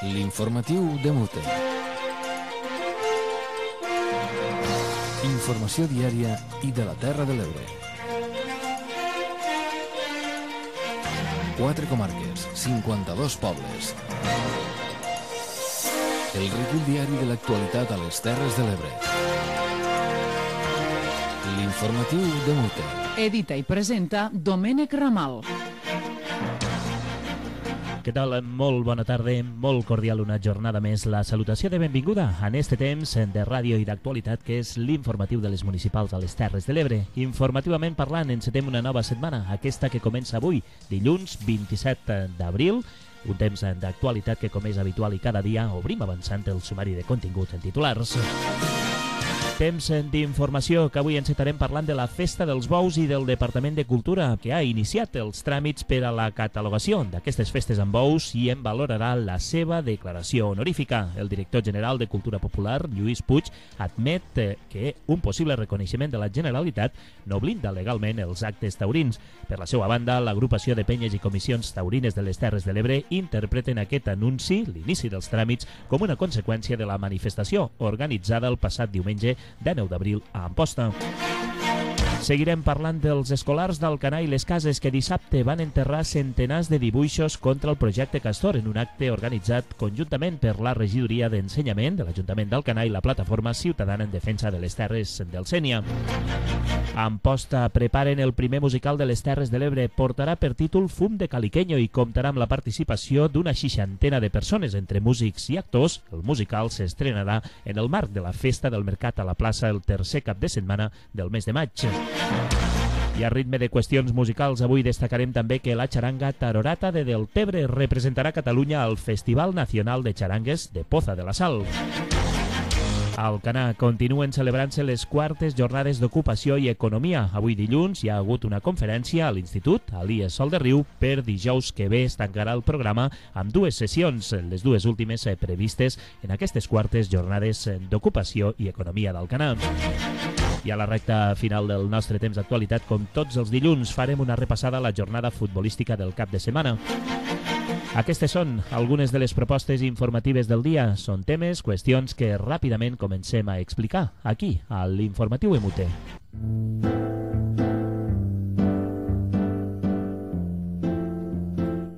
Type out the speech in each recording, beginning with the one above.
L'informatiu de Mute. Informació diària i de la Terra de l'Ebre. 4 comarques, 52 pobles. El recull diari de l'actualitat a les Terres de l'Ebre. L'informatiu de Mute. Edita i presenta Domènec Ramal. Què tal? Molt bona tarda, molt cordial una jornada més. La salutació de benvinguda en este temps de ràdio i d'actualitat que és l'informatiu de les municipals a les Terres de l'Ebre. Informativament parlant, encetem una nova setmana, aquesta que comença avui, dilluns 27 d'abril, un temps d'actualitat que, com és habitual i cada dia, obrim avançant el sumari de continguts en titulars. Temps d'informació, que avui encetarem parlant de la Festa dels Bous i del Departament de Cultura, que ha iniciat els tràmits per a la catalogació d'aquestes festes amb bous i en valorarà la seva declaració honorífica. El director general de Cultura Popular, Lluís Puig, admet que un possible reconeixement de la Generalitat no blinda legalment els actes taurins. Per la seva banda, l'agrupació de penyes i comissions taurines de les Terres de l'Ebre interpreten aquest anunci, l'inici dels tràmits, com una conseqüència de la manifestació organitzada el passat diumenge de 9 d'abril a Amposta. Seguirem parlant dels escolars d'Alcanar i les Cases que dissabte van enterrar centenars de dibuixos contra el projecte Castor en un acte organitzat conjuntament per la regidoria d'Ensenyament de l'Ajuntament d'Alcanar i la Plataforma Ciutadana en Defensa de les Terres del Sénia. A Amposta preparen el primer musical de les Terres de l'Ebre. Portarà per títol Fum de Caliqueño i comptarà amb la participació d'una 60 de persones entre músics i actors. El musical s'estrenarà en el marc de la Festa del Mercat a la plaça el tercer cap de setmana del mes de maig. I a ritme de qüestions musicals, avui destacarem també que la xaranga Tarorata de Deltebre representarà Catalunya al Festival Nacional de Charangues de Poza de la Sal. A Alcanar continuen celebrant-se les quartes jornades d'ocupació i economia. Avui dilluns hi ha hagut una conferència a l'Institut Elies Sol de Riu. Per dijous que ve es tancarà el programa amb 2 sessions, les 2 últimes previstes en aquestes quartes jornades d'ocupació i economia d'Alcanar. I a la recta final del nostre temps d'actualitat, com tots els dilluns, farem una repassada a la jornada futbolística del cap de setmana. Aquestes són algunes de les propostes informatives del dia. Són temes, qüestions que ràpidament comencem a explicar aquí, a l'Informatiu MUT.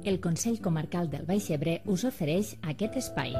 El Consell Comarcal del Baix Ebre us ofereix aquest espai.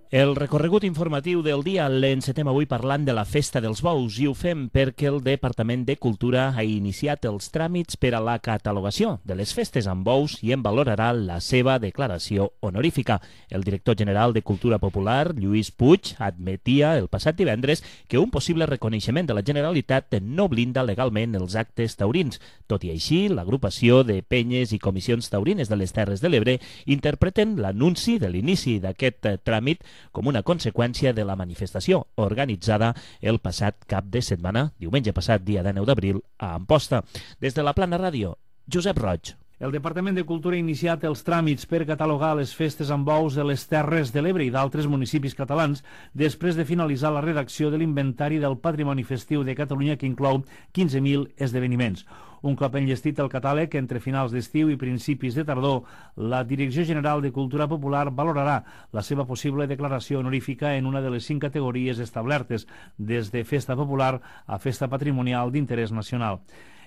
El recorregut informatiu del dia l'encetem avui parlant de la Festa dels Bous i ho fem perquè el Departament de Cultura ha iniciat els tràmits per a la catalogació de les festes amb bous i en valorarà la seva declaració honorífica. El director general de Cultura Popular, Lluís Puig, admetia el passat divendres que un possible reconeixement de la Generalitat no blinda legalment els actes taurins. Tot i així, l'agrupació de penyes i comissions taurines de les Terres de l'Ebre interpreten l'anunci de l'inici d'aquest tràmit com una conseqüència de la manifestació organitzada el passat cap de setmana, diumenge passat, dia de 9 d'abril, a Amposta. Des de la Plana Ràdio, Josep Roig. El Departament de Cultura ha iniciat els tràmits per catalogar les festes amb bous de les Terres de l'Ebre i d'altres municipis catalans després de finalitzar la redacció de l'Inventari del Patrimoni Festiu de Catalunya que inclou 15.000 esdeveniments. Un cop enllestit el catàleg, entre finals d'estiu i principis de tardor, la Direcció General de Cultura Popular valorarà la seva possible declaració honorífica en una de les 5 categories establertes, des de Festa Popular a Festa Patrimonial d'Interès Nacional.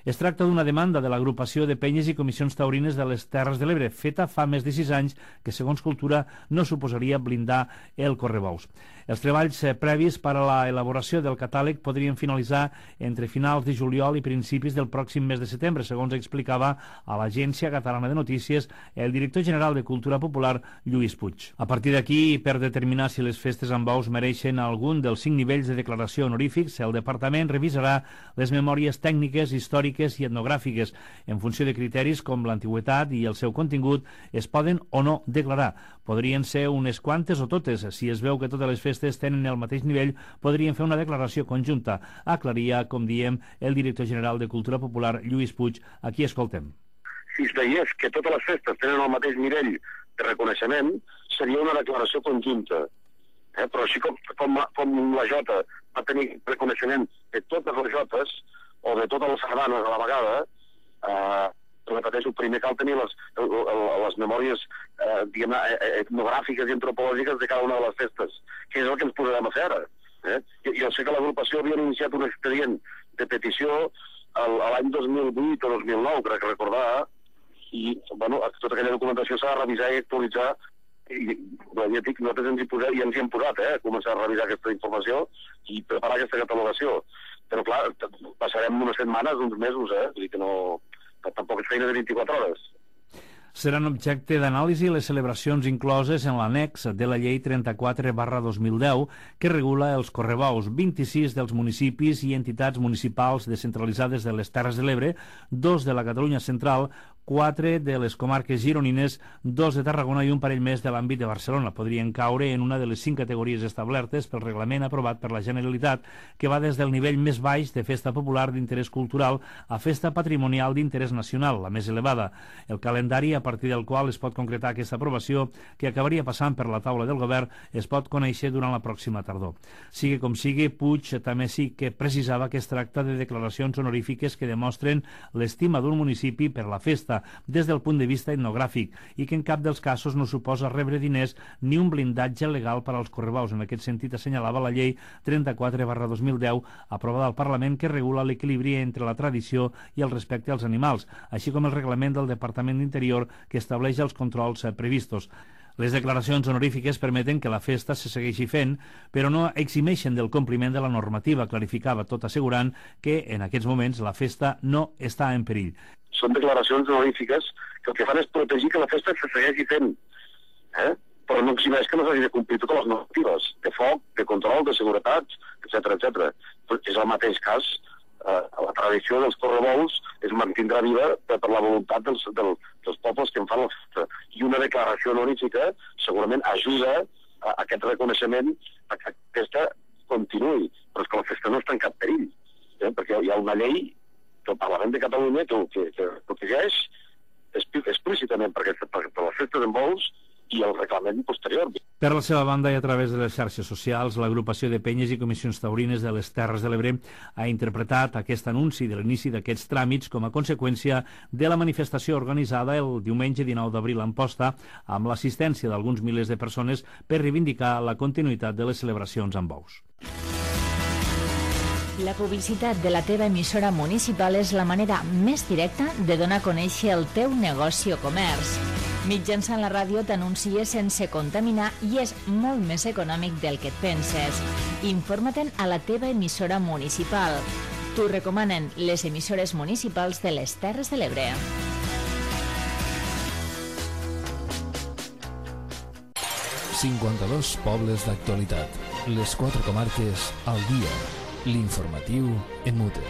Es tracta d'una demanda de l'agrupació de penyes i comissions taurines de les Terres de l'Ebre, feta fa més de 6 anys, que segons Cultura no suposaria blindar el correbous. Els treballs previs per a la elaboració del catàleg podrien finalitzar entre finals de juliol i principis del pròxim mes de setembre, segons explicava a l'Agència Catalana de Notícies el director general de Cultura Popular, Lluís Puig. A partir d'aquí, per determinar si les festes amb bous mereixen algun dels 5 nivells de declaració honorífics, el Departament revisarà les memòries tècniques, històriques i etnogràfiques. En funció de criteris com l'antigüitat i el seu contingut, es poden o no declarar. Podrien ser unes quantes o totes. Si es veu que totes les festes tenen el mateix nivell, podrien fer una declaració conjunta, aclaria, com diem, el director general de Cultura Popular, Lluís Puig. Aquí escoltem. Si es veiés que totes les festes tenen el mateix nivell de reconeixement, seria una declaració conjunta. Però així com la Jota va tenir reconeixement de totes les Jotes, o de totes les sardanes a la vegada, Repeteixo, primer cal tenir les memòries etnogràfiques i antropològiques de cada una de les festes, que és el que ens posarem a fer ara. Jo sé que l'agrupació havia iniciat un expedient de petició l'any 2008 o 2009, crec recordar, i tota aquella documentació s'ha de revisar i actualitzar, i ja dic, nosaltres ens hi hem posat a començar a revisar aquesta informació i preparar aquesta catalogació. Però clar, passarem unes setmanes, uns mesos, vull dir que no... Tampoc és feina de 24 hores. Seran objecte d'anàlisi les celebracions incloses en l'annex de la llei 34/2010 que regula els correbous. 26 dels municipis i entitats municipals descentralitzades de les Terres de l'Ebre, 2 de la Catalunya Central, 4 de les comarques gironines, 2 de Tarragona i un parell més de l'àmbit de Barcelona. Podrien caure en una de les 5 categories establertes pel reglament aprovat per la Generalitat, que va des del nivell més baix de festa popular d'interès cultural a festa patrimonial d'interès nacional, la més elevada. El calendari a partir del qual es pot concretar aquesta aprovació, que acabaria passant per la taula del govern, es pot conèixer durant la pròxima tardor. Sigui com sigui, Puig també sí que precisava que es tracta de declaracions honorífiques que demostren l'estima d'un municipi per la festa des del punt de vista etnogràfic i que en cap dels casos no suposa rebre diners ni un blindatge legal per als correbaus. En aquest sentit assenyalava la llei 34/2010 aprovada al Parlament, que regula l'equilibri entre la tradició i el respecte als animals, així com el reglament del Departament d'Interior que estableix els controls previstos. Les declaracions honorífiques permeten que la festa se segueixi fent, però no eximeixen del compliment de la normativa, clarificava, tot assegurant que en aquests moments la festa no està en perill. Són declaracions honorífiques que el que fan és protegir que la festa se segueixi fent, però no eximeix que no s'hagi de complir totes les normatives de foc, de control, de seguretat, etc. És el mateix cas. La tradició dels correbous es mantindrà viva per la voluntat dels pobles que en fan la festa. I una declaració honorífica segurament ajuda a aquest reconeixement a que la festa continuï. Però és que la festa no està en cap perill, perquè hi ha una llei del Parlament de Catalunya que protegeix explícitament per les festes en bous i el reglament posterior. Per la seva banda i a través de les xarxes socials, l'agrupació de penyes i comissions taurines de les Terres de l'Ebre ha interpretat aquest anunci de l'inici d'aquests tràmits com a conseqüència de la manifestació organitzada el diumenge 19 d'abril a Amposta amb l'assistència d'alguns milers de persones per reivindicar la continuïtat de les celebracions amb bous. La publicitat de la teva emissora municipal és la manera més directa de donar a conèixer el teu negoci o comerç. Mitjançant la ràdio t'anuncies sense contaminar i és molt més econòmic del que et penses. Informa-te'n a la teva emissora municipal. T'ho recomanen les emissores municipals de les Terres de l'Ebre. ...52 pobles d'actualitat. Les 4 comarques al dia. L'informatiu en Mute.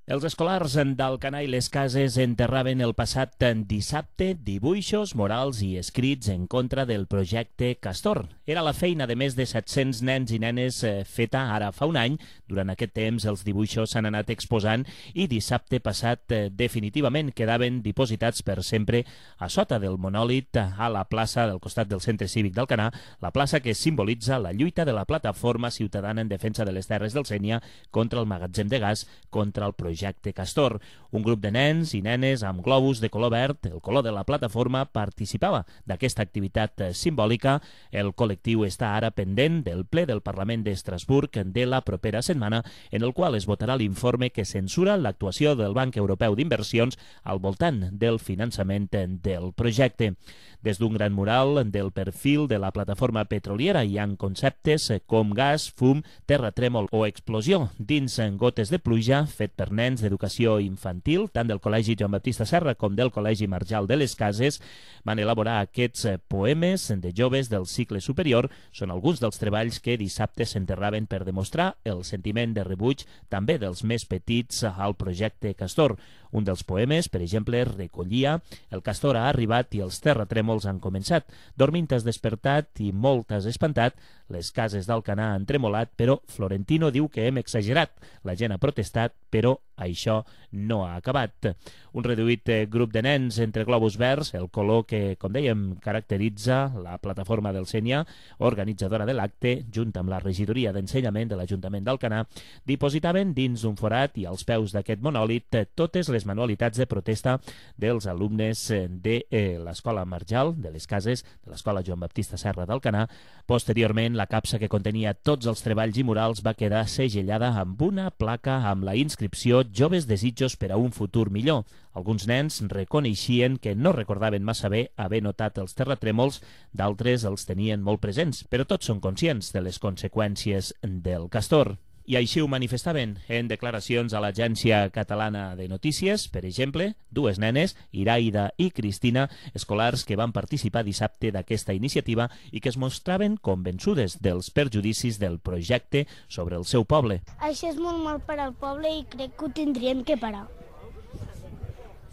Els escolars d'Alcanar i les Cases enterraven el passat dissabte dibuixos, morals i escrits en contra del projecte Castor. Era la feina de més de 700 nens i nenes feta ara fa un any. Durant aquest temps els dibuixos s'han anat exposant i dissabte passat definitivament quedaven dipositats per sempre a sota del monòlit a la plaça del costat del Centre Cívic d'Alcanar, la plaça que simbolitza la lluita de la plataforma ciutadana en defensa de les terres del Sénia contra el magatzem de gas, contra el projecte Castor. Un grup de nens i nenes amb globus de color verd, el color de la plataforma, participava d'aquesta activitat simbòlica. El col·lectiu està ara pendent del ple del Parlament d'Estrasburg de la propera setmana, en el qual es votarà l'informe que censura l'actuació del Banc Europeu d'Inversions al voltant del finançament del projecte. Des d'un gran mural del perfil de la plataforma petroliera hi ha conceptes com gas, fum, terratrèmol o explosió dins gotes de pluja, fet per nens d'educació infantil, tant del Col·legi Joan Baptista Serra com del Col·legi Marjal de les Cases. Van elaborar aquests poemes de joves del cicle superior. Són alguns dels treballs que dissabte s'enterraven per demostrar el sentiment de rebuig també dels més petits al projecte Castor. Un dels poemes, per exemple, recollia: el Castor ha arribat i els terratrèmols han començat. Dormint has despertat i molt has espantat, Les cases d'Alcanar han tremolat, però Florentino diu que hem exagerat. La gent ha protestat, però això no ha acabat. Un reduït grup de nens entre globus verds, el color que, com dèiem, caracteritza la plataforma del Sénia, organitzadora de l'acte, junt amb la regidoria d'ensenyament de l'Ajuntament d'Alcanar, dipositaven dins d'un forat i als peus d'aquest monòlit totes les manualitats de protesta dels alumnes de l'Escola Marjal, de les cases de l'Escola Joan Baptista Serra d'Alcanar. Posteriorment, la capsa que contenia tots els treballs i murals va quedar segellada amb una placa amb la inscripció «Joves desitjos per a un futur millor». Alguns nens reconeixien que no recordaven massa bé haver notat els terratrèmols, d'altres els tenien molt presents, però tots són conscients de les conseqüències del castor. I així ho manifestaven en declaracions a l'Agència Catalana de Notícies, per exemple, dues nenes, Iraida i Cristina, escolars que van participar dissabte d'aquesta iniciativa i que es mostraven convençudes dels perjudicis del projecte sobre el seu poble. Això és molt mal per al poble i crec que ho tindríem que parar.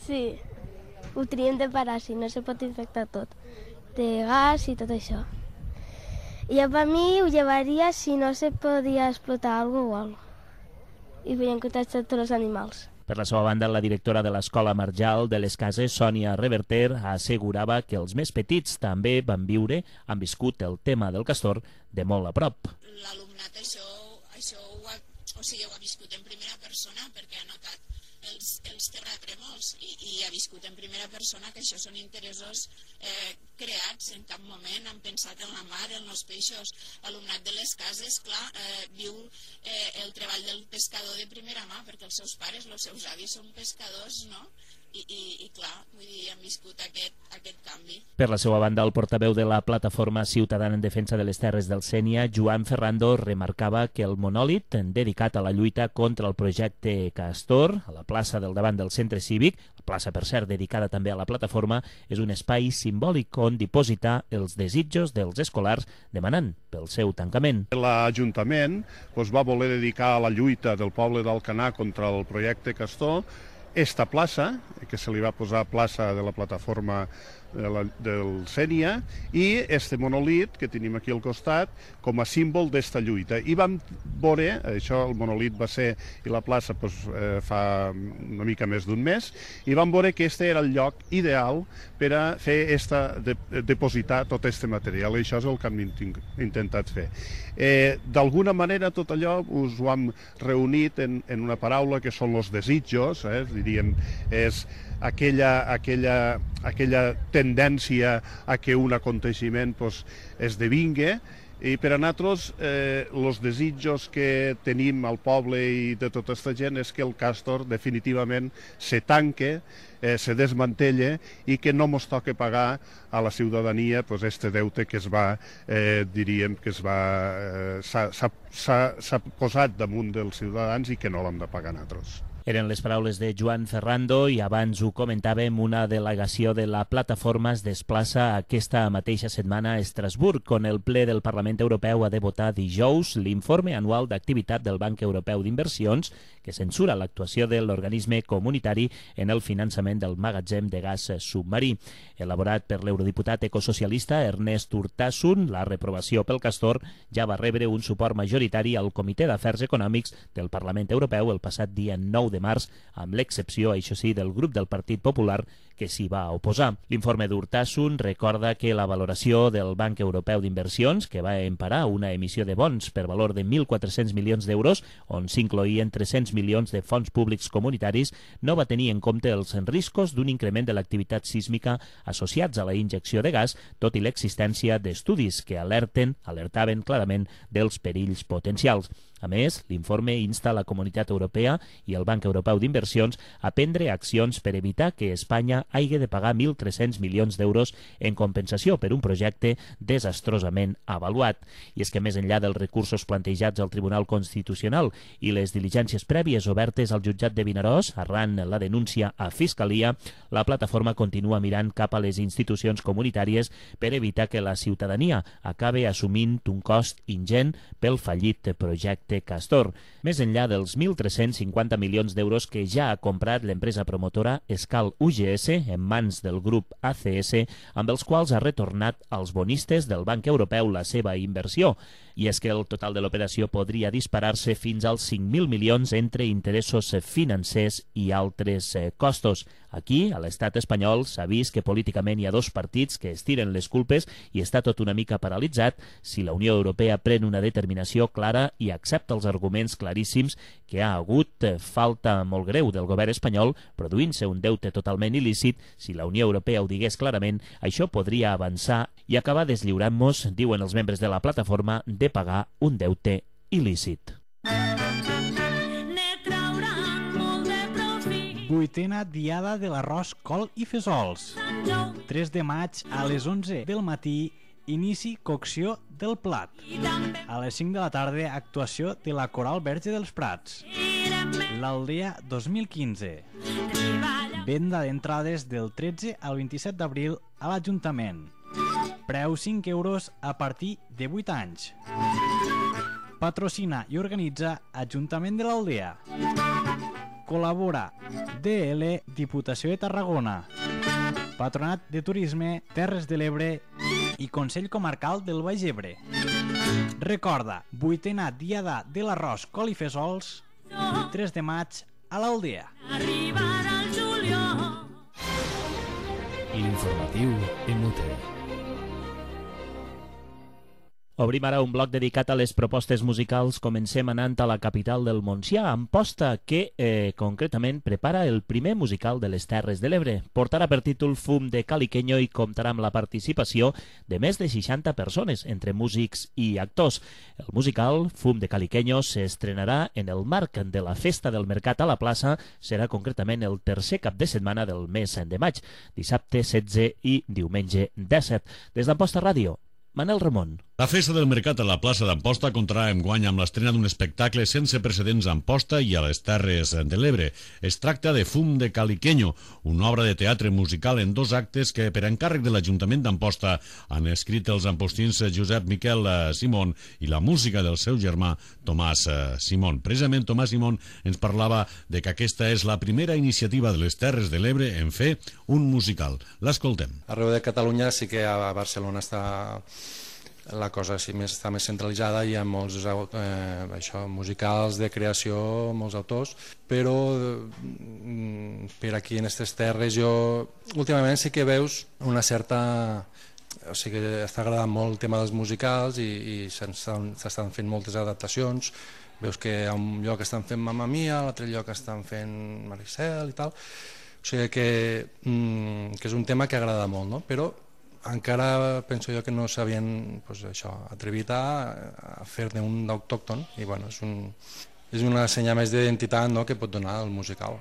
Sí, ho tindríem de parar, si no se pot infectar tot, de gas i tot això. Jo per mi ho llevaria si no se podia explotar algo o algo. I feien contacte tots els animals. Per la seva banda, la directora de l'Escola Marjal de les Cases, Sònia Reverter, assegurava que els més petits també han viscut el tema del castor de molt a prop. L'alumnat això ho ha viscut en primera persona perquè ha notat els terratrèmols i ha viscut en primera persona que això són interessos creats. En cap moment han pensat en la mar, en els peixos. L'alumnat de les cases, clar, viu el treball del pescador de primera mà perquè els seus pares, els seus avis són pescadors, no? I clar, vull dir, han viscut aquest canvi. Per la seva banda, el portaveu de la Plataforma Ciutadana en Defensa de les Terres del Sénia, Joan Ferrando, remarcava que el monòlit dedicat a la lluita contra el projecte Castor, a la plaça del davant del centre cívic, la plaça, per cert, dedicada també a la plataforma, és un espai simbòlic on dipositar els desitjos dels escolars demanant pel seu tancament. L'Ajuntament va voler dedicar a la lluita del poble d'Alcanar contra el projecte Castor esta plaça, que se li va posar plaça de la plataforma del Sénia, i este monolit que tenim aquí al costat com a símbol d'esta lluita. I vam veure, això el monolit va ser, i la plaça fa una mica més d'un mes, i vam veure que este era el lloc ideal per a fer depositar tot este material, i això és el que hem intentat fer. D'alguna manera tot allò us ho hem reunit en una paraula que són els desitjos, diríem, és aquella tendència a que un aconteixement esdevingui, i per a nosaltres els desitjos que tenim al poble i de tota aquesta gent és que el Castor definitivament se tanque, se desmantella i que no ens toca pagar a la ciutadania este deute que diríem que s'ha posat damunt dels ciutadans i que no l'hem de pagar nosaltres. Eren les paraules de Joan Ferrando i abans ho comentàvem, una delegació de la plataforma es desplaça aquesta mateixa setmana a Estrasburg, on el ple del Parlament Europeu ha de votar dijous l'informe anual d'activitat del Banc Europeu d'Inversions que censura l'actuació de l'organisme comunitari en el finançament del magatzem de gas submarí. Elaborat per l'eurodiputat ecosocialista Ernest Urtasun, la reprovació pel Castor ja va rebre un suport majoritari al Comitè d'Afers Econòmics del Parlament Europeu el passat dia 9 de març, amb l'excepció, això sí, del grup del Partit Popular que s'hi va oposar. L'informe d'Urtasun recorda que la valoració del Banc Europeu d'Inversions, que va emparar una emissió de bons per valor de 1.400 milions d'euros, on s'incloïen 300 milions de fons públics comunitaris, no va tenir en compte els riscos d'un increment de l'activitat sísmica associats a la injecció de gas, tot i l'existència d'estudis que alertaven clarament dels perills potencials. A més, l'informe insta la Comunitat Europea i el Banc Europeu d'Inversions a prendre accions per evitar que Espanya hagi de pagar 1.300 milions d'euros en compensació per un projecte desastrosament avaluat. I és que més enllà dels recursos plantejats al Tribunal Constitucional i les diligències prèvies obertes al jutjat de Vinaròs arran la denúncia a Fiscalia, la plataforma continua mirant cap a les institucions comunitàries per evitar que la ciutadania acabe assumint un cost ingent pel fallit projecte projecte Castor, més enllà dels 1.350 milions d'euros que ja ha comprat l'empresa promotora Escal UGS en mans del grup ACS, amb els quals ha retornat als bonistes del Banc Europeu la seva inversió. I és que el total de l'operació podria disparar-se fins als 5.000 milions entre interessos financers i altres costos. Aquí, a l'estat espanyol, s'ha vist que políticament hi ha dos partits que es tiren les culpes i està tot una mica paralitzat si la Unió Europea pren una determinació clara i accepta els arguments claríssims que ha hagut falta molt greu del govern espanyol produint-se un deute totalment il·lícit. Si la Unió Europea ho digués clarament, això podria avançar i acabar deslliurant-nos, diuen els membres de la plataforma, de pagar un deute il·lícit. Vuitena diada de l'arròs, col i fesols. 3 de maig a les 11 del matí, inici cocció del plat. A les 5 de la tarda, actuació de la Coral Verge dels Prats. L'Aldea 2015. Venda d'entrades del 13 al 27 d'abril a l'Ajuntament. Preu 5 euros a partir de 8 anys. Patrocina i organitza Ajuntament de l'Aldea. Col·labora DL Diputació de Tarragona, Patronat de Turisme Terres de l'Ebre i Consell Comarcal del Baix Ebre. Recorda, vuitena diada de l'arròs, col i fesols, 3 de maig a l'Aldea. L'informatiu en UT. Obrim ara un bloc dedicat a les propostes musicals. Comencem anant a la capital del Montsià, Amposta, que concretament prepara el primer musical de les Terres de l'Ebre. Portarà per títol Fum de Caliqueño i comptarà amb la participació de més de 60 persones, entre músics i actors. El musical Fum de Caliqueño s'estrenarà en el marc de la Festa del Mercat a la plaça. Serà concretament el tercer cap de setmana del mes de maig, dissabte 16 i diumenge 17. Des d'Amposta Ràdio, Manel Ramon. La Festa del Mercat a la plaça d'Amposta comptarà enguany amb l'estrena d'un espectacle sense precedents a Amposta i a les Terres de l'Ebre. Es tracta de Fum de Caliqueño, una obra de teatre musical en 2 actes que, per encàrrec de l'Ajuntament d'Amposta, han escrit els ampostins Josep Miquel Simón i la música del seu germà Tomàs Simón. Precisament Tomàs Simón ens parlava de que aquesta és la primera iniciativa de les Terres de l'Ebre en fer un musical. L'escoltem. Arreu de Catalunya sí que a Barcelona la cosa està més centralitzada, hi ha molts musicals de creació, molts autors, però per aquí en aquestes terres últimament sí que veus una certa... O sigui que està agradant molt el tema dels musicals i s'estan fent moltes adaptacions. Veus que a un lloc estan fent Mamma Mia, a l'altre lloc estan fent Maricel i tal. O sigui que és un tema que agrada molt, no? Però encara penso jo que no s'havien atrevit a fer-ne un d'autòcton i és una senya més d'identitat que pot donar el musical.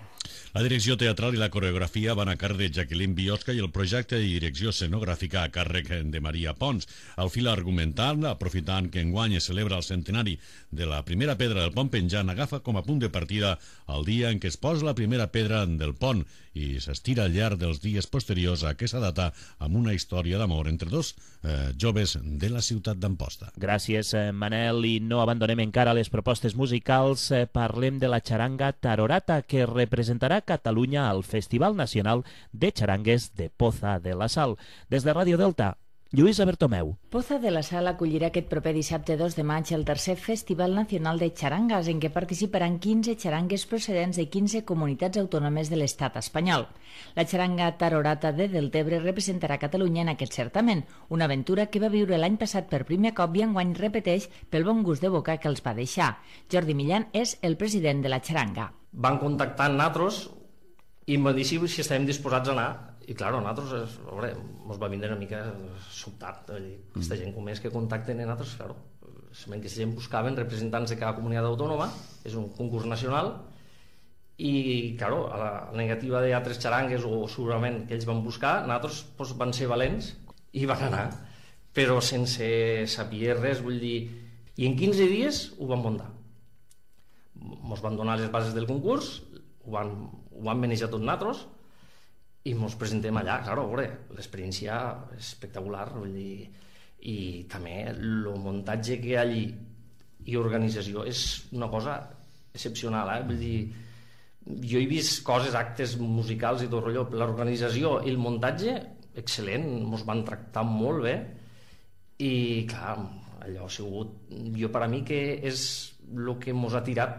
La direcció teatral i la coreografia van a càrrec de Jacqueline Biosca i el projecte de direcció escenogràfica a càrrec de Maria Pons. Al fil argumental, aprofitant que enguany es celebra el centenari de la primera pedra del pont penjant, agafa com a punt de partida el dia en què es posa la primera pedra del pont i s'estira al llarg dels dies posteriors a aquesta data amb una història d'amor entre 2 joves de la ciutat d'Amposta. Gràcies, Manel, i no abandonem encara les propostes musicals. Parlem de la xaranga Tarorata, que representarà Catalunya al Festival Nacional de Xarangues de Poza de la Sal. Des de Ràdio Delta, Lluïsa Bertomeu. Poza de la Sal acollirà aquest proper dissabte 2 de maig el tercer Festival Nacional de Xarangas, en què participaran 15 xarangues procedents de 15 comunitats autònomes de l'estat espanyol. La xaranga Tarorata de Deltebre representarà Catalunya en aquest certamen, una aventura que va viure l'any passat per primer cop i enguany repeteix pel bon gust de boca que els va deixar. Jordi Millán és el president de la xaranga. Van contactar amb nosaltres i em van dir si estàvem disposats a anar. I clar, nosaltres, ens va vindre una mica sobtat. Aquesta gent com és que contacten a nosaltres, clar, aquesta gent buscaven representants de cada comunitat autònoma, és un concurs nacional, i clar, a la negativa d'altres xarangues o segurament que ells van buscar, nosaltres van ser valents i van anar, però sense saber res, vull dir, i en 15 dies ho van muntar. Ens van donar les bases del concurs, ho van manejar tots nosaltres, i ens presentem allà. Clar, l'experiència és espectacular, vull dir, i també el muntatge que hi ha allí i organització és una cosa excepcional, vull dir, jo he vist coses, actes musicals i tot rotllo, l'organització i el muntatge excel·lent, ens van tractar molt bé i clar, allò ha sigut, jo per a mi que és el que ens ha tirat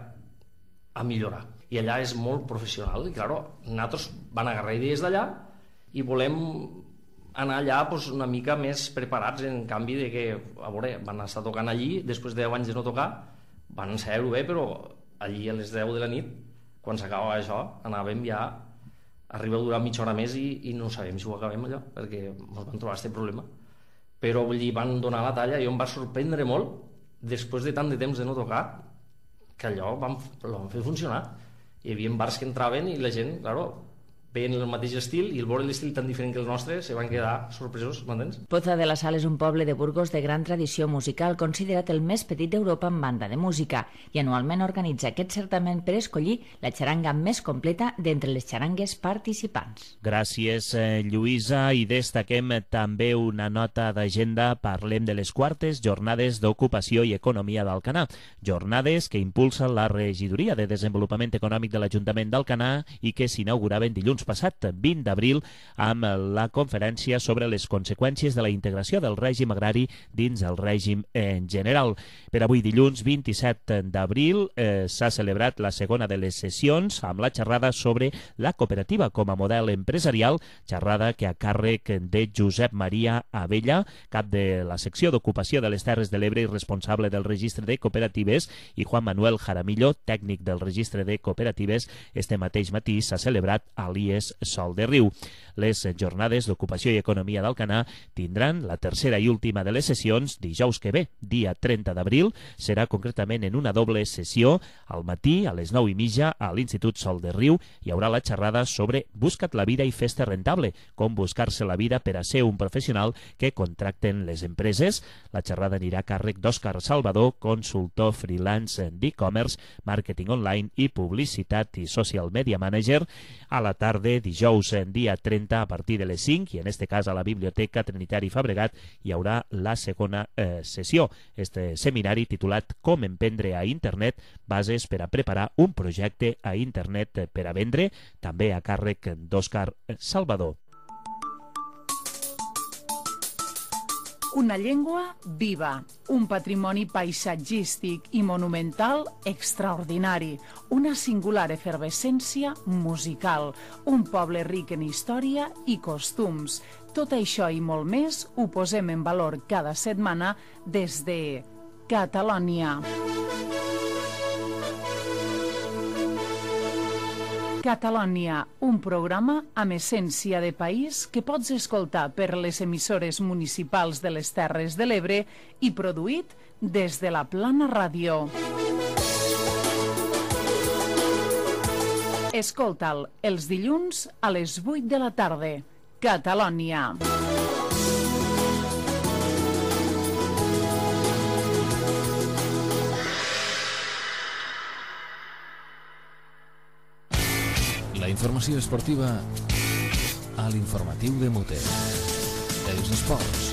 a millorar, i allà és molt professional i clar, nosaltres van agarrar idees d'allà i volem anar allà una mica més preparats, en canvi de que, a veure, van estar tocant allí, després de 10 anys de no tocar, van ensaiar-ho bé, però allí a les 10 de la nit, quan s'acabava això, anàvem ja, arriba a durar mitja hora més i no sabem si ho acabem allò, perquè ens van trobar aquest problema. Però vull dir, van donar la talla i em va sorprendre molt, després de tant de temps de no tocar, que allò ho van fer funcionar. Hi havia bars que entraven i la gent, claro, veien el mateix estil i el veure l'estil tan diferent que el nostre se van quedar sorpresos, m'entens? Poza de la Sal és un poble de Burgos de gran tradició musical, considerat el més petit d'Europa en banda de música, i anualment organitza aquest certament per escollir la xaranga més completa d'entre les xarangues participants. Gràcies, Lluïsa, i destaquem també una nota d'agenda. Parlem de les quartes jornades d'ocupació i economia d'Alcanar, jornades que impulsa la Regidoria de Desenvolupament Econòmic de l'Ajuntament d'Alcanar i que s'inauguraven dilluns passat, 20 d'abril, amb la conferència sobre les conseqüències de la integració del règim agrari dins el règim en general. Per avui, dilluns 27 d'abril, s'ha celebrat la segona de les sessions amb la xerrada sobre la cooperativa com a model empresarial, xerrada que a càrrec de Josep Maria Abella, cap de la secció d'ocupació de les Terres de l'Ebre i responsable del registre de cooperatives, i Juan Manuel Jaramillo, tècnic del registre de cooperatives. Este mateix matí s'ha celebrat a l'IES Sol de Riu. Les jornades d'ocupació i economia d'Alcanar tindran la tercera i última de les sessions dijous que ve, dia 30 d'abril. Serà concretament en una doble sessió. Al matí, a les 9:30, a l'Institut Sol de Riu, hi haurà la xerrada sobre Busca't la vida i fes-te rentable, com buscar-se la vida per a ser un professional que contracten les empreses. La xerrada anirà a càrrec d'Òscar Salvador, consultor freelance d'e-commerce, màrqueting online i publicitat i social media manager. A la tarda, dijous, dia 30, a partir de les 5, i en este cas a la Biblioteca Trinitari Fabregat, hi haurà la segona sessió. Este seminari titulat Com emprendre a internet, bases per a preparar un projecte a internet per a vendre, també a càrrec d'Òscar Salvador. Una llengua viva, un patrimoni paisatgístic i monumental extraordinari, una singular efervescència musical, un poble ric en història i costums. Tot això i molt més ho posem en valor cada setmana des de Catalònia. Catalònia, un programa amb essència de país que pots escoltar per les emissores municipals de les Terres de l'Ebre i produït des de la Plana Ràdio. Escolta'l els dilluns a les 8 de la tarda. Catalònia. La informació esportiva a l'informatiu de Mute. Els esports.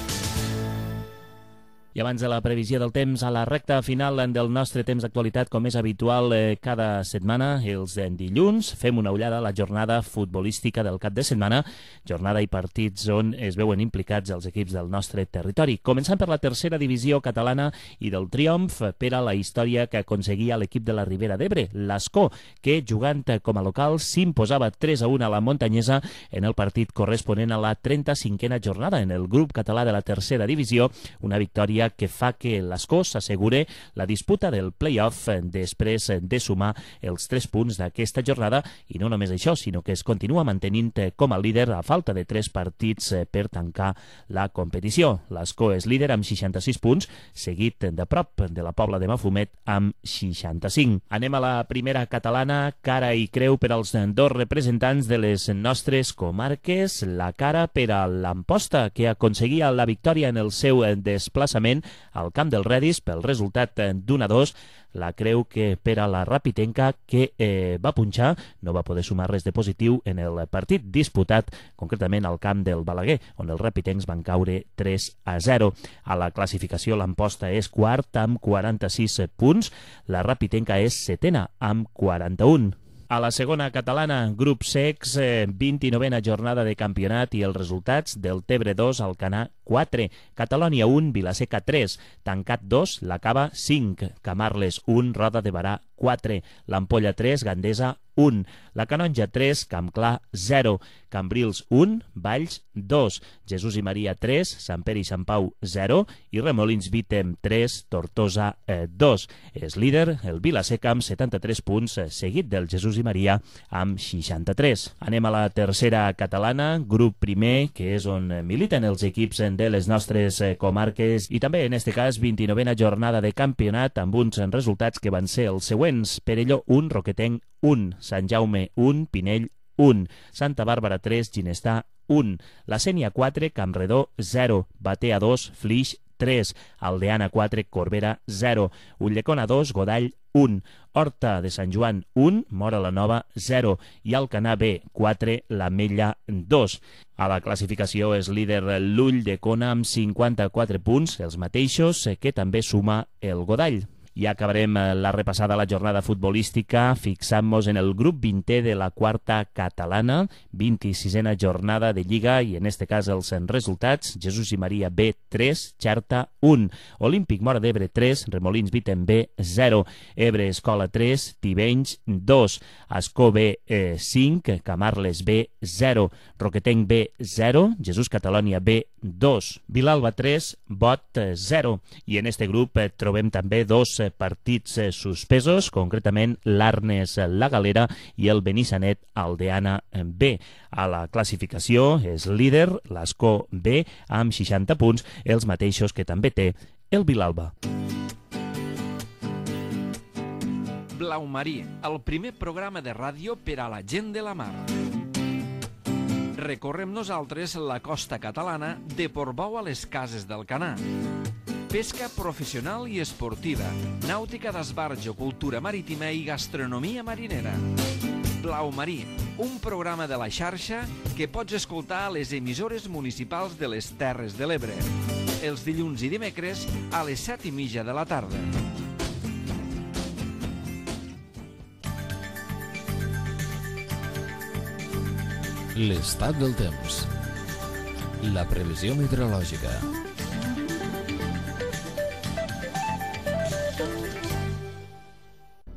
I abans de la previsió del temps, a la recta final del nostre temps d'actualitat, com és habitual cada setmana, els dilluns, fem una ullada a la jornada futbolística del cap de setmana, jornada i partits on es veuen implicats els equips del nostre territori. Començant per la tercera divisió catalana i del triomf per a la història que aconseguia l'equip de la Ribera d'Ebre, l'Ascó, que jugant com a local s'imposava 3-1 a la Montanyesa en el partit corresponent a la 35a jornada en el grup català de la tercera divisió, una victòria que fa que l'Ascó s'assegure la disputa del play-off després de sumar els 3 punts d'aquesta jornada, i no només això, sinó que es continua mantenint com a líder a falta de 3 partits per tancar la competició. L'Ascó és líder amb 66 punts, seguit de prop de la Pobla de Mafumet amb 65. Anem a la primera catalana, cara i creu per als 2 representants de les nostres comarques. La cara per a l'Amposta, que aconseguia la victòria en el seu desplaçament concretament al camp del Redis pel resultat d'1-2. La creu que per a la Rapitenca, que va punxar, no va poder sumar res de positiu en el partit disputat concretament al camp del Balaguer, on els rapitencs van caure 3-0. A la classificació l'Amposta és quart amb 46 punts, la Rapitenca és setena amb 41. A la segona catalana, grup secs, 29a jornada de campionat i els resultats: del Tebre 2, Alcanar 4, Catalònia 1, Vilaseca 3, Tancat 2, La Cava 5, Camarles 1, Roda de Barà 4, l'Ampolla 3, Gandesa 1, la Canonja 3, Campclar 0, Cambrils 1, Valls 2, Jesús i Maria 3, Sant Pere i Sant Pau 0 i Remolins Vítem 3, Tortosa 2. És líder el Vilaseca amb 73 punts, seguit del Jesús i Maria amb 63. Anem a la tercera catalana, grup primer, que és on militen els equips de les nostres comarques, i també en este cas 29a jornada de campionat amb uns resultats que van ser els següents: Perelló 1, Roquetenc 1, Sant Jaume 1, Pinell 1, Santa Bàrbara 3, Ginestà 1, La Sénia 4, Campredó 0, Batea 2, Flix 3, Aldeana 4, Corbera 0, Ulldecona 2, Godall 1, Horta de Sant Joan 1, Móra la Nova 0 i Alcanar B 4, l'Ametlla 2. A la classificació és líder l'Ulldecona amb 54 punts, els mateixos que també suma el Godall. I acabarem la repassada a la jornada futbolística fixant-nos en el grup 20è de la quarta catalana, 26a jornada de Lliga, i en este cas els resultats: Jesús i Maria B 3, Xerta 1, Olímpic Móra d'Ebre 3, Remolins Vítem B 0, Ebre Escola 3, Tivenys 2, Ascó B 5, Camarles B 0, Roquetenc B 0, Jesús Catalònia B 2, Vilalba 3, Bot 0. I en este grup trobem també dos partits suspesos, concretament l'Arnes La Galera i el Benissanet Aldeana B. A la classificació és líder l'Ascó B amb 60 punts, els mateixos que també té el Vilalba. Blau Marí, el primer programa de ràdio per a la gent de la mar. Recorrem nosaltres la costa catalana de Portbou a les Cases d'Alcanar. Pesca professional i esportiva, nàutica d'esbarjo, cultura marítima i gastronomia marinera. Blau Marí, un programa de la xarxa que pots escoltar a les emissores municipals de les Terres de l'Ebre, els dilluns i dimecres a les 7:30 de la tarda. L'estat del temps. La previsió meteorològica.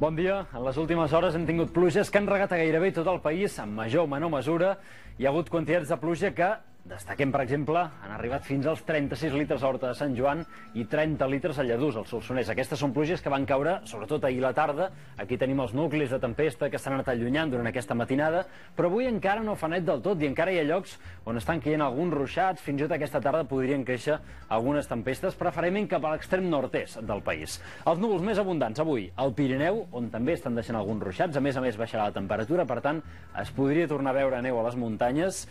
Bon dia. En les últimes hores hem tingut pluges que han regat a gairebé tot el país, en major o menor mesura. Hi ha hagut quantitats de pluja que, destaquem per exemple, han arribat fins als 36 litres a Horta de Sant Joan i 30 litres a Lladurs, al Solsonès. Aquestes són pluges que van caure, sobretot ahir a la tarda. Aquí tenim els nuclis de tempesta que s'han anat allunyant durant aquesta matinada, però avui encara no fa net del tot i encara hi ha llocs on estan caient alguns ruixats. Fins i tot aquesta tarda podrien créixer algunes tempestes, preferentment cap a l'extrem nord-est del país. Els núvols més abundants avui al Pirineu, on també estan deixant alguns ruixats. A més baixarà la temperatura, per tant, es podria tornar a veure neu a les muntanyes.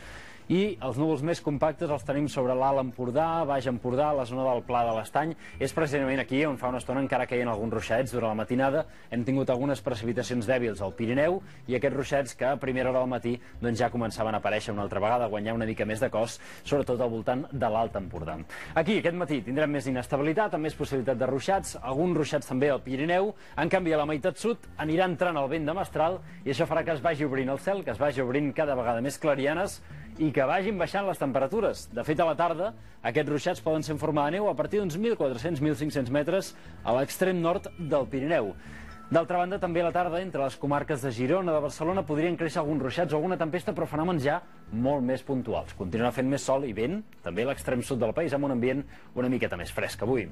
I els núvols més compactes els tenim sobre l'Alt Empordà, Baix Empordà, la zona del Pla de l'Estany. És precisament aquí on fa una estona encara caien alguns ruixats durant la matinada. Hem tingut algunes precipitacions dèbils al Pirineu i aquests ruixats que a primera hora del matí doncs ja començaven a aparèixer una altra vegada, a guanyar una mica més de cos, sobretot al voltant de l'Alt Empordà. Aquí aquest matí tindrem més inestabilitat, amb més possibilitat de ruixats, alguns ruixats també al Pirineu. En canvi, a la meitat sud anirà entrant el vent de mestral i això farà que es vagi obrint el cel, que es vagi obrint cada vegada més clarianes i que vagin baixant les temperatures. De fet, a la tarda, aquests ruixats poden ser en forma de neu a partir d'uns 1.400-1.500 metres a l'extrem nord del Pirineu. D'altra banda, també a la tarda, entre les comarques de Girona, de Barcelona, podrien créixer alguns ruixats o alguna tempesta, però fenòmens ja molt més puntuals. Continuarà fent més sol i vent, també a l'extrem sud del país, amb un ambient una miqueta més fresc avui.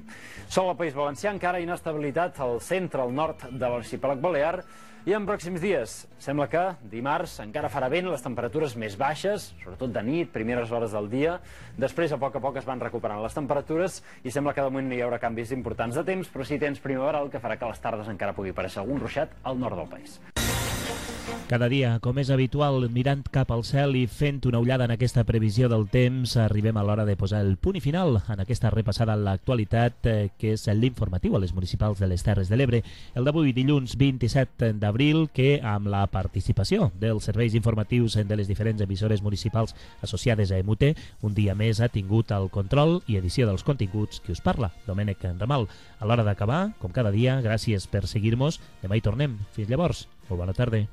Sol al País Valencià, encara inestabilitat al centre, al nord de l'arxipèlag balear. I en pròxims dies, sembla que dimarts encara farà vent, les temperatures més baixes, sobretot de nit, primeres hores del dia. Després, a poc es van recuperant les temperatures i sembla que de moment no hi haurà canvis importants de temps, però sí temps primaveral que farà que a les tardes encara pugui aparèixer algun ruixat al nord del país. Cada dia, com és habitual, mirant cap al cel i fent una ullada en aquesta previsió del temps, arribem a l'hora de posar el punt i final en aquesta repassada a l'actualitat, que és l'informatiu a les municipals de les Terres de l'Ebre. El d'avui, dilluns 27 d'abril, que amb la participació dels serveis informatius de les diferents emissores municipals associades a EMUTE, un dia més ha tingut el control i edició dels continguts qui us parla, Domènec Ramal. A l'hora d'acabar, com cada dia, gràcies per seguir-nos. Demà hi tornem. Fins llavors. Molt bona tarda.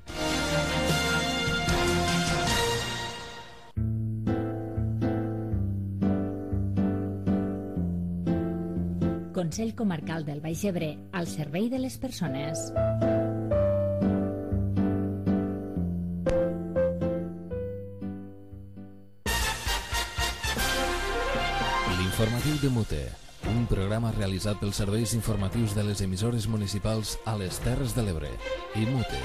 Consell Comarcal del Baix Ebre, al servei de les persones. L'informatiu de Mute, un programa realitzat pels serveis informatius de les emissores municipals a les Terres de l'Ebre i Mute.